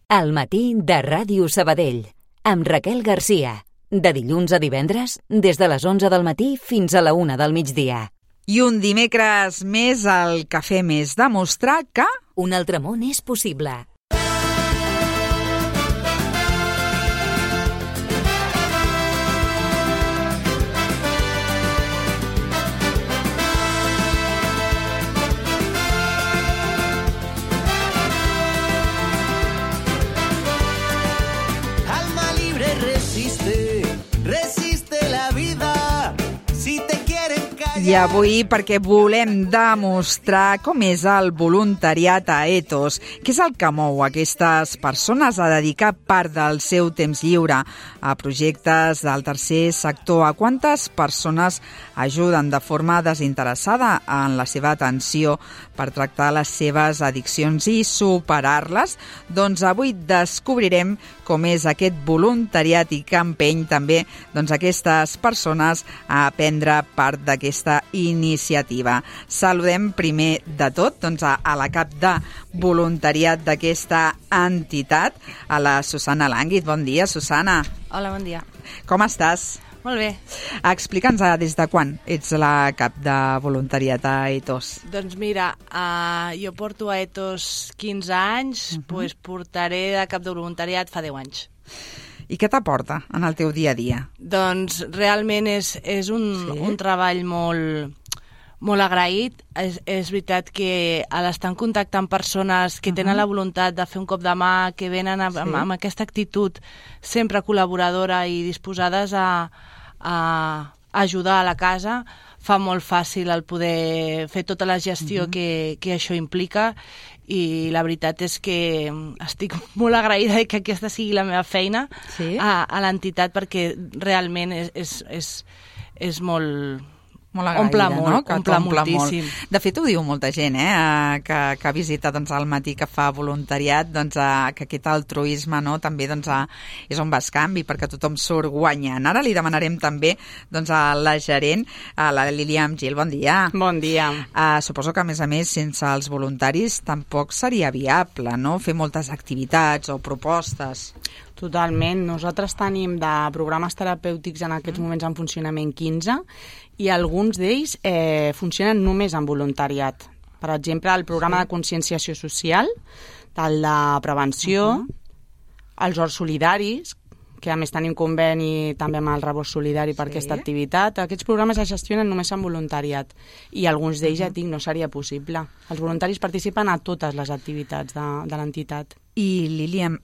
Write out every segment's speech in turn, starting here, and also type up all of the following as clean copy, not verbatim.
Al matí de Ràdio Sabadell, amb Raquel Garcia. De dilluns a divendres, des de les 11 del matí fins a la 1 del migdia. I un dimecres més el que fem és demostrar que... Un altre món és possible. I avui perquè volem demostrar com és el voluntariat a Ethos, què és el que mou aquestes persones a dedicar part del seu temps lliure a projectes del tercer sector, a quantes persones ajuden de forma desinteressada en la seva atenció per tractar les seves addiccions i superar-les. Doncs avui descobrirem com és aquest voluntariat i que empeny també aquestes persones a prendre part d'aquesta iniciativa. Saludem primer de tot a la cap de voluntariat d'aquesta entitat, a la Susana Lànguid. Bon dia, Susana. Hola, bon dia. Com estàs? Molt bé. Explica'ns des de quan ets la cap de voluntariat a Ethos. Doncs mira, jo porto a Ethos 15 anys, doncs portaré de cap de voluntariat fa 10 anys. I què t'aporta en el teu dia a dia? Doncs realment és un treball molt agraït. És veritat que a l'estar en contacte amb persones que tenen la voluntat de fer un cop de mà, que venen amb aquesta actitud sempre col·laboradora i disposades a ajudar a la casa, fa molt fàcil el poder fer tota la gestió que això implica, i la veritat és que estic molt agraïda que aquesta sigui la meva feina a l'entitat, perquè realment és molt... Molt agraïda, omple moltíssim. Molt. De fet, ho diu molta gent, que visita al matí, que fa voluntariat, que aquest altruisme també és un bescanvi, perquè tothom surt guanyant. Ara li demanarem també a la gerent, a la Líliam Gil. Bon dia. Bon dia. Suposo que, a més, sense els voluntaris tampoc seria viable, no?, fer moltes activitats o propostes. Totalment. Nosaltres tenim de programes terapèutics en aquests moments en funcionament 15, i alguns d'ells funcionen només en voluntariat. Per exemple, el programa de conscienciació social, el de prevenció, els horts solidaris, que a més tenim conveni també amb el Rebost Solidari per aquesta activitat. Aquests programes es gestionen només en voluntariat, i alguns d'ells, ja dic, no seria possible. Els voluntaris participen a totes les activitats de l'entitat. I, Líliam,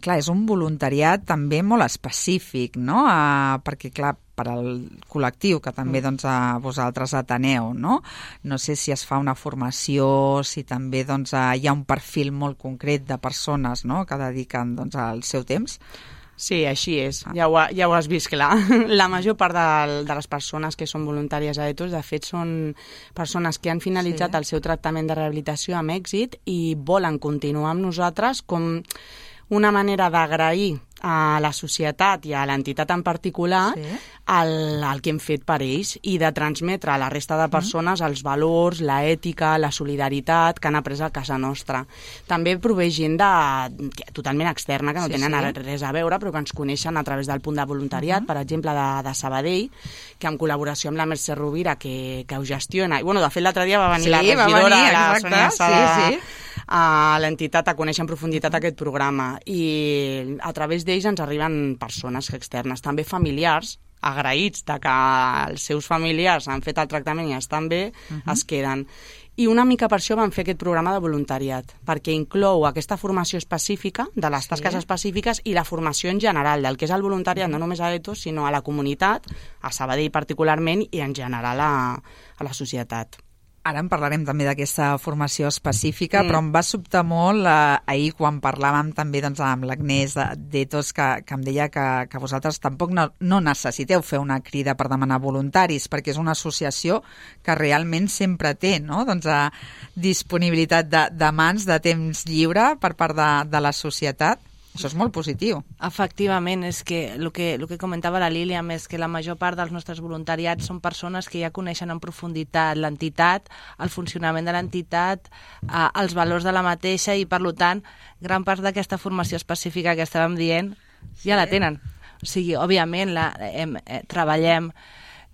clar, és un voluntariat també molt específic, no?, perquè, clar, per al col·lectiu que també vosaltres ateneu, no? No sé si es fa una formació, si també hi ha un perfil molt concret de persones, no?, que dediquen el seu temps. Sí, així és. Ja ho has vist clar. La major part de les persones que són voluntàries a Ethos, de fet, són persones que han finalitzat el seu tractament de rehabilitació amb èxit i volen continuar amb nosaltres com una manera d'agrair a la societat i a l'entitat en particular el que hem fet per ells, i de transmetre a la resta de persones els valors, la ètica, la solidaritat que han après a casa nostra. També prové gent totalment externa, que no tenen res a veure, però que ens coneixen a través del punt de voluntariat, per exemple, de Sabadell, que en col·laboració amb la Mercè Rovira, que ho gestiona. I, de fet, l'altre dia va venir la regidora, la Sònia Sada, a l'entitat a conèixer en profunditat aquest programa, i a través d'ells ens arriben persones externes, també familiars, agraïts de que els seus familiars han fet el tractament i estan bé, es queden. I una mica per això vam fer aquest programa de voluntariat, perquè inclou aquesta formació específica, de les tasques específiques, i la formació en general, del que és el voluntariat, no només a Ethos, sinó a la comunitat, a Sabadell particularment, i en general a la societat. Ara en parlarem també d'aquesta formació específica, però em va sobtar molt ahir quan parlàvem també amb l'Agnès d'Ethos, que em deia que vosaltres tampoc no necessiteu fer una crida per demanar voluntaris, perquè és una associació que realment sempre té, no?, disponibilitat de mans, de temps lliure per part de la societat. Això és molt positiu. Efectivament, és que el que comentava la Lília és que la major part dels nostres voluntariats són persones que ja coneixen en profunditat l'entitat, el funcionament de l'entitat, els valors de la mateixa i, per tant, gran part d'aquesta formació específica que estàvem dient ja la tenen. O sigui, òbviament, treballem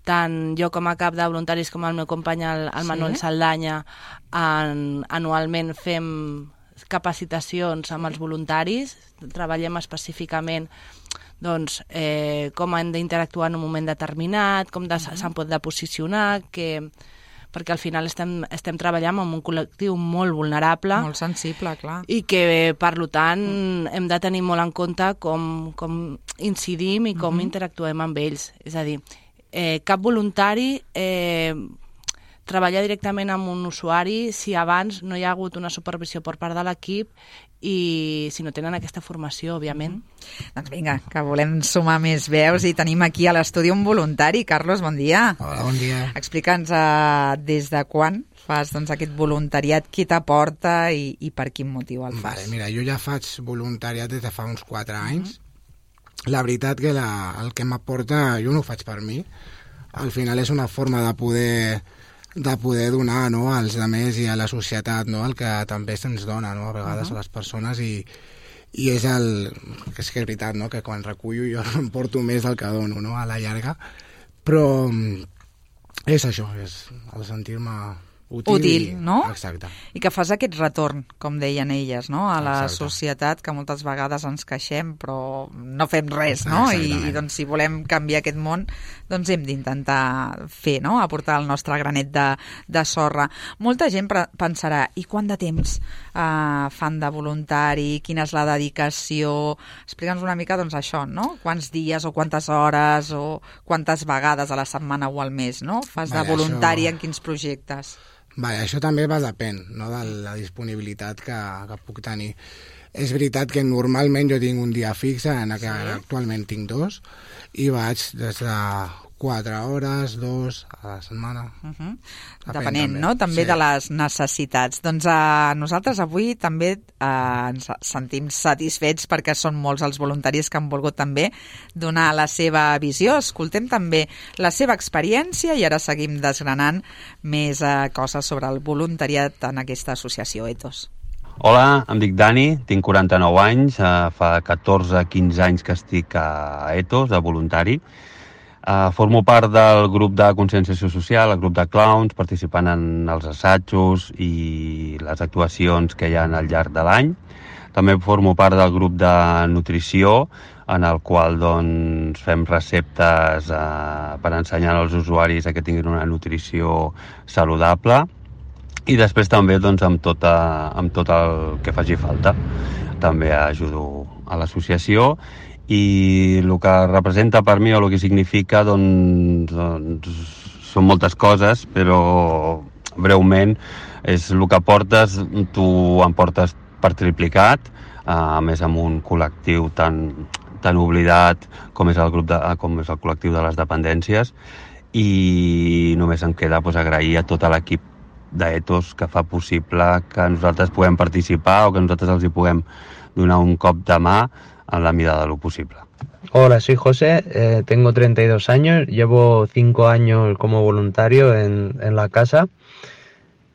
tant jo com a cap de voluntaris com el meu company, el Manuel Saldanya, anualment fem capacitacions amb els voluntaris, treballem específicament com han d'interactuar en un moment determinat, com se'n pot de posicionar, perquè al final estem treballant amb un col·lectiu molt vulnerable. Molt sensible, clar. I que, per tant, hem de tenir molt en compte com incidim i com interactuem amb ells. És a dir, cap voluntari treballar directament amb un usuari si abans no hi ha hagut una supervisió per part de l'equip i si no tenen aquesta formació, òbviament. Doncs vinga, que volem sumar més veus i tenim aquí a l'estudi un voluntari. Carlos, bon dia. Hola, bon dia. Explica'ns des de quan fas aquest voluntariat, qui t'aporta i per quin motiu el fas. Mira, jo ja faig voluntariat des de fa uns 4 anys. La veritat que el que m'aporta, jo no ho faig per mi. Al final és una forma de poder donar, no, als altres i a la societat, no, el que també se'ns dona, no, a vegades a les persones i és que és veritat, no, que quan recullo jo em porto més del que dono, no, a la llarga, però és això, és el sentir-me útil, no? Exacte. I que fas aquest retorn, com deien elles, no? A la Exacte. Societat, que moltes vegades ens queixem, però no fem res, no? I doncs, si volem canviar aquest món, doncs hem d'intentar fer, no? Aportar el nostre granet de sorra. Molta gent pensarà, i quant de temps fan de voluntari? Quina és la dedicació? Explica'ns una mica, doncs, això, no? Quants dies o quantes hores o quantes vegades a la setmana o al mes, no? Fas de voluntari en quins projectes? Això també depèn, no, de la disponibilitat que puc tenir. És veritat que normalment jo tinc un dia fixe, en què actualment tinc 2, i vaig des de 4 hores, 2 a la setmana. Depenent, no? També de les necessitats. Doncs nosaltres avui també ens sentim satisfets perquè són molts els voluntaris que han volgut també donar la seva visió. Escoltem també la seva experiència i ara seguim desgranant més coses sobre el voluntariat en aquesta associació Ethos. Hola, em dic Dani, tinc 49 anys, fa 14-15 anys que estic a Ethos, de voluntari. Formo part del grup de conscienciació social, el grup de clowns, participant en els assajos i les actuacions que hi ha al llarg de l'any. També formo part del grup de nutrició, en el qual doncs, fem receptes per ensenyar als usuaris que tinguin una nutrició saludable. I després també doncs, amb tot el que faci falta. També ajudo a l'associació i el que representa per mi o el que significa doncs són moltes coses, però breument és el que portes, tu en portes per triplicat, a més amb un col·lectiu tan oblidat com és el col·lectiu de les dependències, i només em queda agrair a tot l'equip d'Ethos que fa possible que nosaltres puguem participar o que nosaltres els hi puguem donar un cop de mà en la medida de lo posible. Hola, soy José, tengo 32 años, llevo 5 años como voluntario en la casa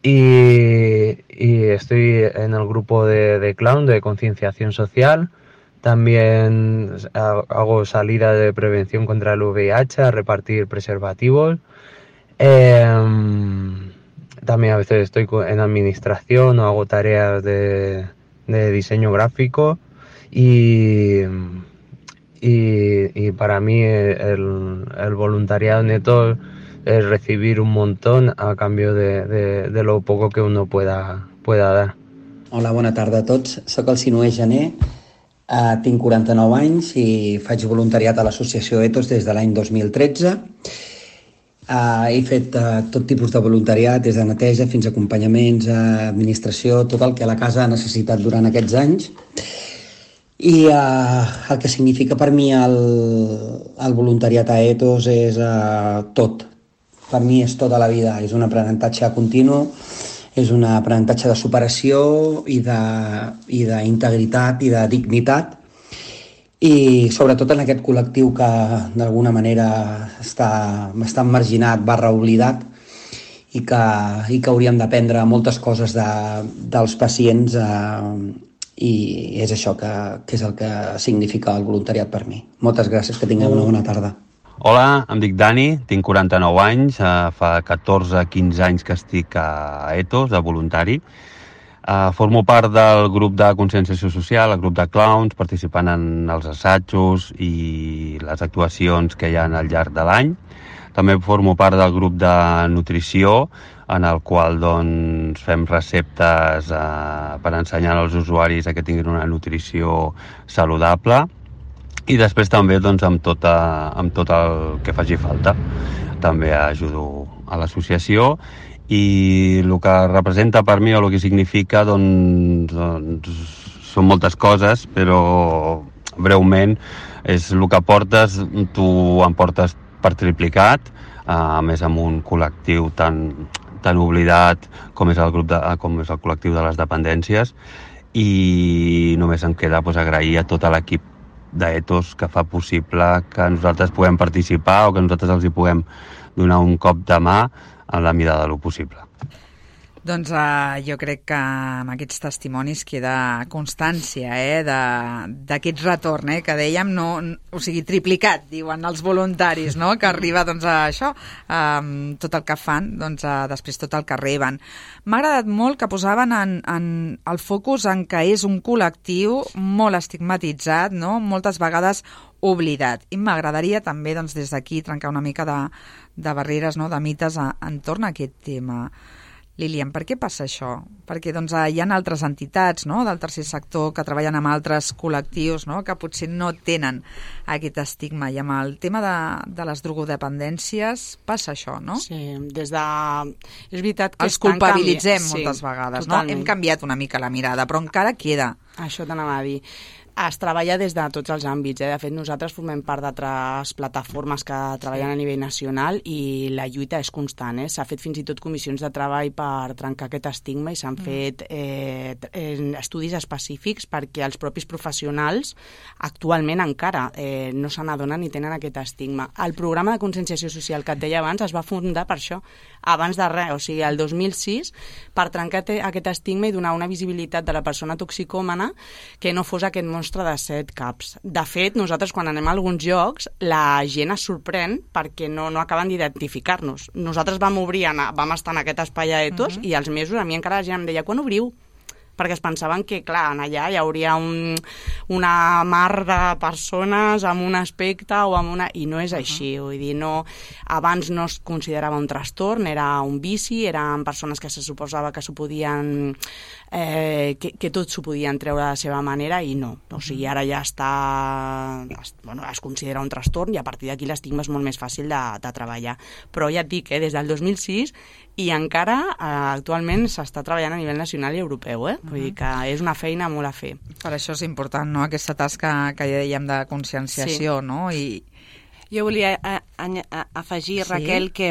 y estoy en el grupo de clown, de concienciación social. También hago salida de prevención contra el VIH, a repartir preservativos. También a veces estoy en administración o hago tareas de diseño gráfico y para mí el voluntariado neto es recibir un montón a cambio de lo poco que uno pueda dar. Hola, bona tarda a tots. Soc el Sinué Gené, tinc 49 anys i faig voluntariat a l'associació Ethos des de l'any 2013. He fet tot tipus de voluntariat, des de neteja fins a acompanyaments, administració, tot el que la casa ha necessitat durant aquests anys. I el que significa per mi el voluntariat a Ethos és tot. Per mi és tota la vida, és un aprenentatge continu, és un aprenentatge de superació i d'integritat i de dignitat, i sobretot en aquest col·lectiu que d'alguna manera està marginat / oblidat i que hauríem d'aprendre moltes coses dels pacients i és això que és el que significa el voluntariat per mi. Moltes gràcies, que tingueu una bona tarda. Hola, em dic Dani, tinc 49 anys, fa 14-15 anys que estic a Ethos, de voluntari. Formo part del grup de conscienciació social, el grup de clowns, participant en els assajos i les actuacions que hi ha al llarg de l'any. També formo part del grup de nutrició, en el qual doncs, fem receptes per ensenyar als usuaris que tinguin una nutrició saludable. I després també doncs, amb tot el que faci falta. També ajudo a l'associació i el que representa per mi o el que significa doncs són moltes coses, però breument és el que portes, tu em portes per triplicat, a més amb un col·lectiu tan oblidat com és el col·lectiu de les dependències, i només em queda agrair a tot l'equip d'Ethos que fa possible que nosaltres puguem participar o que nosaltres els hi puguem donar un cop de mà en la mida de lo possible. Doncs jo crec que amb aquests testimonis queda constància d'aquest retorn, que dèiem, o sigui, triplicat, diuen els voluntaris, no? Que arriba doncs, a això, tot el que fan, doncs, després tot el que reben. M'ha agradat molt que posaven en el focus en que és un col·lectiu molt estigmatitzat, no? Moltes vegades oblidat. I m'agradaria també doncs, des d'aquí trencar una mica de barreres, no? De mites entorn a aquest tema. Lilian, per què passa això? Perquè doncs, hi ha altres entitats, no?, del tercer sector que treballen amb altres col·lectius, no?, que potser no tenen aquest estigma. I amb el tema de les drogodependències passa això, no? Sí, des de... És veritat que els culpabilitzem moltes vegades, totalment. No? Hem canviat una mica la mirada, però encara queda. Això t'anava a dir. Es treballa des de tots els àmbits. De fet, nosaltres formem part d'altres plataformes que treballen a nivell nacional i la lluita és constant. S'ha fet fins i tot comissions de treball per trencar aquest estigma i s'han fet estudis específics perquè els propis professionals actualment encara no se n'adonen ni tenen aquest estigma. El programa de conscienciació social que et deia abans es va fundar per això, abans de res, o sigui, el 2006, per trencar aquest estigma i donar una visibilitat de la persona toxicòmana que no fos aquest monstre de 7 caps. De fet, nosaltres quan anem a alguns llocs, la gent es sorprèn perquè no acaben d'identificar-nos. Nosaltres vam estar en aquest espai a Ethos i als mesos a mi encara la gent em deia, quan obriu? Perquè es pensaven que, clar, allà hi hauria una mar de persones amb un aspecte o amb una... I no és així, vull dir, no... Abans no es considerava un trastorn, era un vici, eren persones que se suposava que s'ho podien... que tot s'ho podien treure de la seva manera i no. O sigui, ara ja està... Bueno, es considera un trastorn i a partir d'aquí l'estigma és molt més fàcil de treballar. Però ja et dic, des del 2006 i encara actualment s'està treballant a nivell nacional i europeu, Vull dir que és una feina molt a fer. Per això és important, no?, aquesta tasca que ja dèiem de conscienciació, no? I... Jo volia afegir, Raquel, que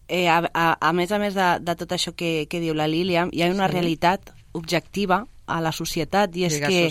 a més de tot això que diu la Lília, hi ha una realitat objectiva a la societat i és que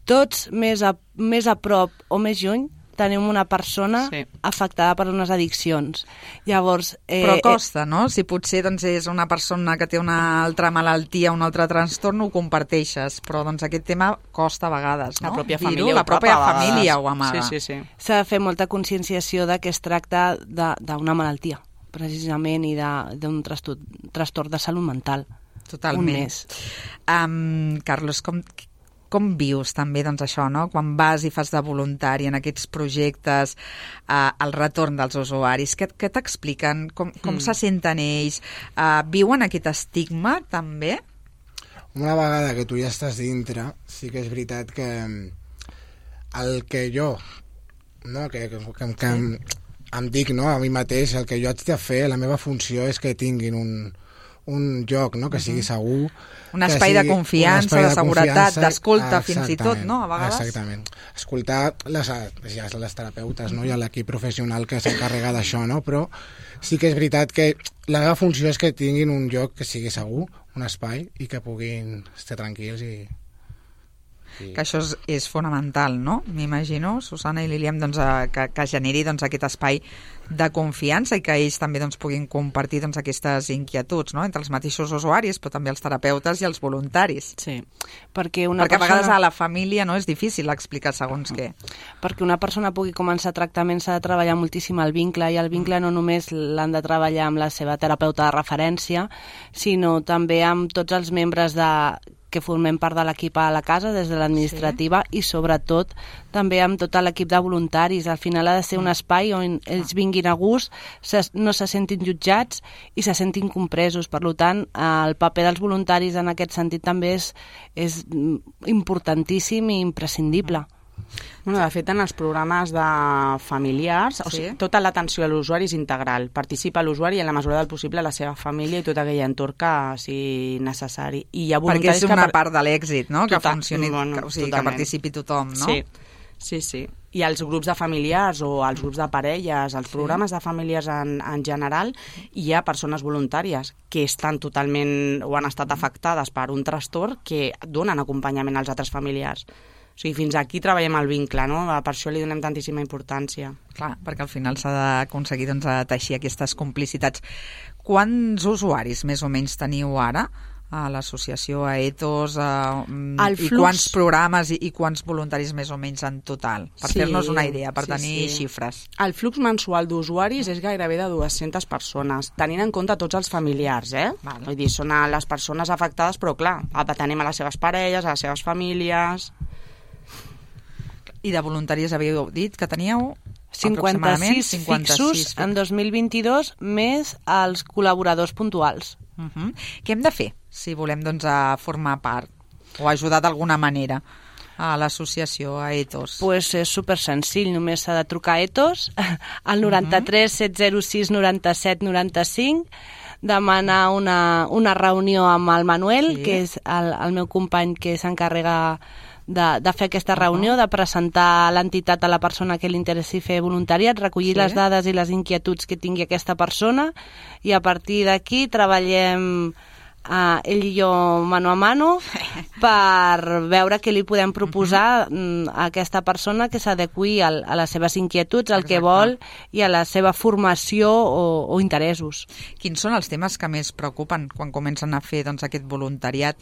tots més a prop o més lluny tenim una persona afectada per unes addiccions. Llavors... Però costa, no? Si potser doncs, és una persona que té una altra malaltia, un altre trastorn, ho comparteixes, però doncs, aquest tema costa a vegades, no? La pròpia família, la pròpia família ho amaga. Sí. S'ha de fer molta conscienciació de que es tracta d'una malaltia, precisament, i d'un trastorn de salut mental. Totalment. Un més. Carlos, com vius també doncs, això, no? Quan vas i fas de voluntari en aquests projectes, el retorn dels usuaris? Què t'expliquen? Com se senten ells? Viuen aquest estigma també? Una vegada que tu ja estàs dintre, sí que és veritat que el que jo, no? que em dic, no? A mi mateix, el que jo haig de fer, la meva funció és que tinguin un lloc, no?, que sigui segur, un espai de confiança, de seguretat, d'escolta fins i tot, no?, a vegades. Exactament. Escoltar les terapeutes, no?, i l'equip professional que s'encarrega d'això, no?, però sí que és veritat que la meva funció és que tinguin un lloc que sigui segur, un espai, i que puguin estar tranquils i que això és fonamental, no? M'imagino, Susana i Líliam, doncs, que generi doncs, aquest espai de confiança i que ells també doncs, puguin compartir doncs, aquestes inquietuds, no? Entre els mateixos usuaris, però també els terapeutes i els voluntaris. Sí, perquè a vegades a la família no és difícil explicar segons què. Perquè una persona pugui començar tractament s'ha de treballar moltíssim el vincle, i el vincle no només l'han de treballar amb la seva terapeuta de referència, sinó també amb tots els membres que formem part de l'equip a la casa, des de l'administrativa, i sobretot també amb tot l'equip de voluntaris. Al final ha de ser un espai on ells vinguin a gust, no se sentin jutjats i se sentin compresos. Per tant, el paper dels voluntaris en aquest sentit també és importantíssim i imprescindible. Bueno, de fet, en els programes de familiars, o sigui, tota l'atenció a l'usuari és integral. Participa l'usuari i en la mesura del possible la seva família i tot aquell entorn que sigui necessari. I hi ha perquè és una part de l'èxit, no? Que funcioni, que participi tothom, no? Sí. I els grups de familiars o els grups de parelles, els programes de familiars en general, hi ha persones voluntàries que estan totalment o han estat afectades per un trastorn que donen acompanyament als altres familiars. O sigui, fins aquí treballem el vincle, no? Per això li donem tantíssima importància. Clar, perquè al final s'ha d'aconseguir doncs, teixir aquestes complicitats. Quants usuaris més o menys teniu ara a l'associació, a Ethos, i quants programes i quants voluntaris més o menys en total? Per fer-nos una idea, per tenir xifres. El flux mensual d'usuaris és gairebé de 200 persones, tenint en compte tots els familiars, Vale. Vull dir, són les persones afectades, però clar, atenem a les seves parelles, a les seves famílies. I de voluntaris havíeu dit que teníeu 56 fixos en 2022, més els col·laboradors puntuals. Què hem de fer si volem doncs, formar part o ajudar d'alguna manera a l'associació, a Ethos? Pues és super senzill, només s'ha de trucar a Ethos al 93 706 97 95, demanar una reunió amb el Manuel, que és el meu company que s'encarrega de fer aquesta reunió, de presentar l'entitat a la persona que li interessi fer voluntariat, recollir les dades i les inquietuds que tingui aquesta persona, i a partir d'aquí treballem ell i jo mano a mano per veure què li podem proposar a aquesta persona que s'adequi a les seves inquietuds, al que vol i a la seva formació o interessos. Quins són els temes que més preocupen quan comencen a fer doncs, aquest voluntariat?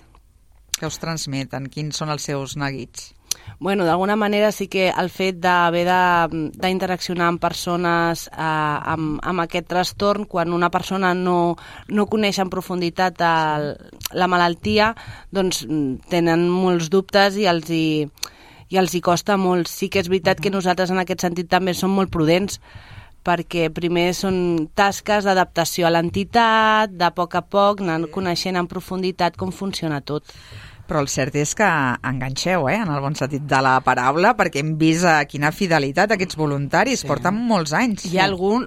Que us transmeten? Quins són els seus neguits? Bueno, d'alguna manera sí que el fet d'haver d'interaccionar amb persones amb aquest trastorn, quan una persona no coneix en profunditat la malaltia, doncs tenen molts dubtes i els hi costa molt. Sí que és veritat que nosaltres en aquest sentit també som molt prudents, perquè primer són tasques d'adaptació a l'entitat, de poc a poc, anar coneixent en profunditat com funciona tot. Però el cert és que enganxeu, en el bon sentit de la paraula, perquè hem vist quina fidelitat aquests voluntaris, porten molts anys. Hi ha algun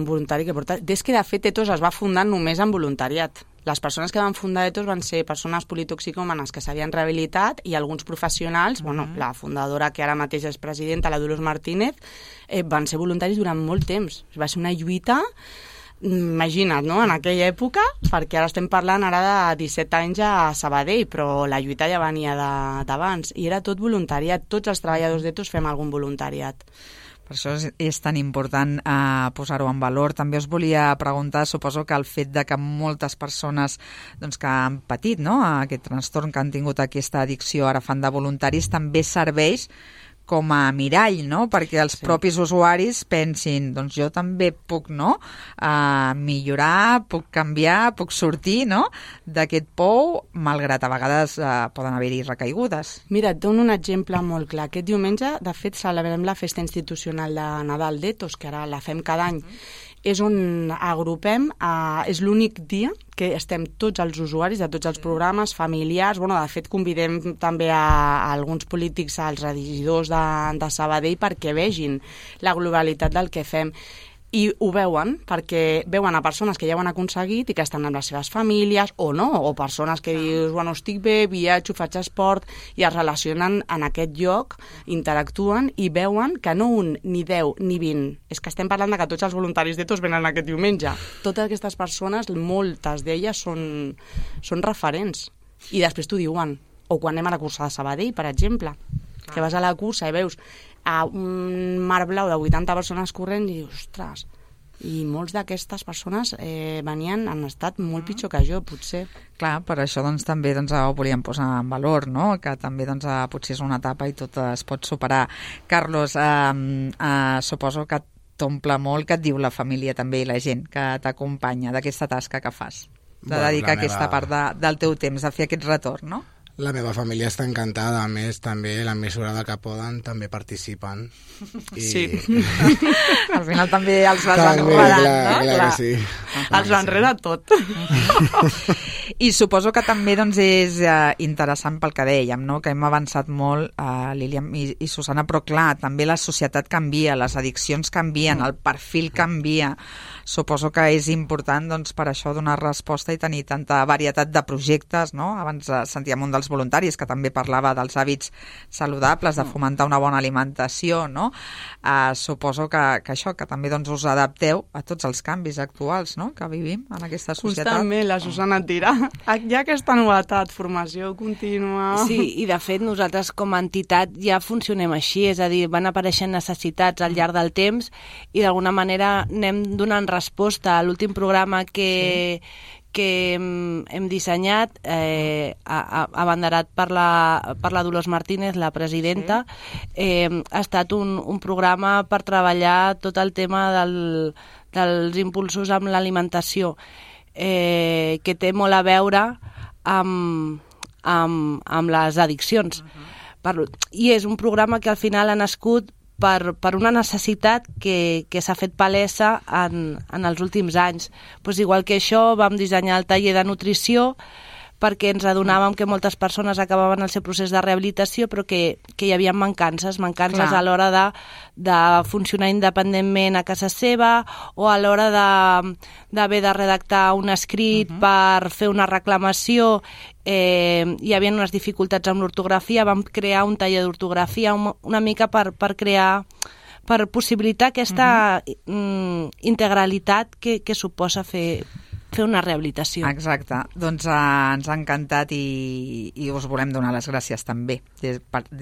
voluntari que porta... Des que, de fet, Ethos es va fundar només en voluntariat. Les persones que van fundar Ethos van ser persones politoxicòmanes que s'havien rehabilitat i alguns professionals, la fundadora que ara mateix és presidenta, la Dolors Martínez, van ser voluntaris durant molt temps. Va ser una lluita, imagina't, no?, en aquella època, perquè ara estem parlant ara de 17 anys a Sabadell, però la lluita ja venia d'abans, i era tot voluntariat. Tots els treballadors d'Ethos fem algun voluntariat. Per això és tan important posar-ho en valor. També us volia preguntar, suposo que el fet de que moltes persones doncs, que han patit aquest trastorn, que han tingut aquesta addicció, ara fan de voluntaris, també serveix com a mirall, no? Perquè els propis usuaris pensin, doncs jo també puc millorar, puc canviar, puc sortir d'aquest pou, malgrat a vegades poden haver-hi recaigudes. Mira, et dono un exemple molt clar. Aquest diumenge, de fet, celebrem la festa institucional de Nadal d'Ethos, que ara la fem cada any. És on agrupem, és l'únic dia que estem tots els usuaris de tots els programes, familiars, de fet convidem també a alguns polítics, als regidors de Sabadell, perquè vegin la globalitat del que fem. I ho veuen, perquè veuen a persones que ja ho han aconseguit i que estan amb les seves famílies, o no, o persones que dius, estic bé, viatjo, faig esport, i es relacionen en aquest lloc, interactuen i veuen que no un, ni 10, ni 20. És que estem parlant de que tots els voluntaris d'Ethos venen aquest diumenge. Totes aquestes persones, moltes d'elles són referents. I després t'ho diuen. O quan anem a la cursa de Sabadell, per exemple, que vas a la cursa i veus un mar blau de 80 persones corrent i dius, ostres, i molts d'aquestes persones venien en estat molt pitjor que jo, potser. Clar, per això doncs, també ho volíem posar en valor, no? Que també potser és una etapa i tot es pot superar. Carlos, suposo que t'omple molt, que et diu la família també i la gent que t'acompanya d'aquesta tasca que fas, de dedicar aquesta part del teu temps a fer aquest retorn, no? La meva família està encantada, a més també en la mesura del que poden també participen. Sí. Al final també els vas enredant, no? Clar que sí. Els enreda tot. I suposo que també és interessant pel que dèiem, no? Que hem avançat molt, Lília i Susana, però clar, també la societat canvia, les addiccions canvien, el perfil canvia. Suposo que és important per això donar resposta i tenir tanta varietat de projectes, no? Abans sentíem un dels voluntaris que també parlava dels hàbits saludables, de fomentar una bona alimentació, no? Suposo que això, que també us adapteu a tots els canvis actuals, no? Que vivim en aquesta societat. Constantment, la Susana et dirà. Hi ha aquesta novetat, formació contínua... Sí, i de fet nosaltres com a entitat ja funcionem així, és a dir, van apareixent necessitats al llarg del temps i d'alguna manera anem donant resposta. A l'últim programa que hem dissenyat, abanderat per la Dolors Martínez, la presidenta, ha estat un programa per treballar tot el tema dels impulsos amb l'alimentació, que té molt a veure amb les addiccions. I és un programa que al final ha nascut per una necessitat que s'ha fet palesa en els últims anys. Pues igual que això, vam dissenyar el taller de nutrició perquè ens adonàvem que moltes persones acabaven el seu procés de rehabilitació però que hi havia mancances a l'hora de funcionar independentment a casa seva o a l'hora d'haver de redactar un escrit per fer una reclamació. Hi havia unes dificultats amb l'ortografia, vam crear un taller d'ortografia una mica per possibilitar aquesta integralitat que suposa fer una rehabilitació. Exacte. Doncs ens ha encantat i us volem donar les gràcies també des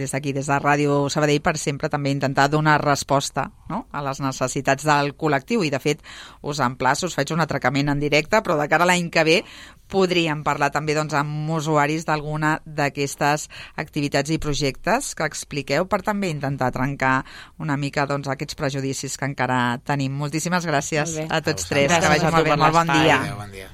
d'aquí, des de Ràdio Sabadell, per sempre també intentar donar resposta, no?, a les necessitats del col·lectiu i de fet us emplaço, us faig un atracament en directe, però de cara a l'any que ve podríem parlar també amb usuaris d'alguna d'aquestes activitats i projectes que expliqueu per també intentar trencar una mica aquests prejudicis que encara tenim. Moltíssimes gràcies a tots tres. Gràcies, que vagi molt bé. Molt bon dia. Bon dia.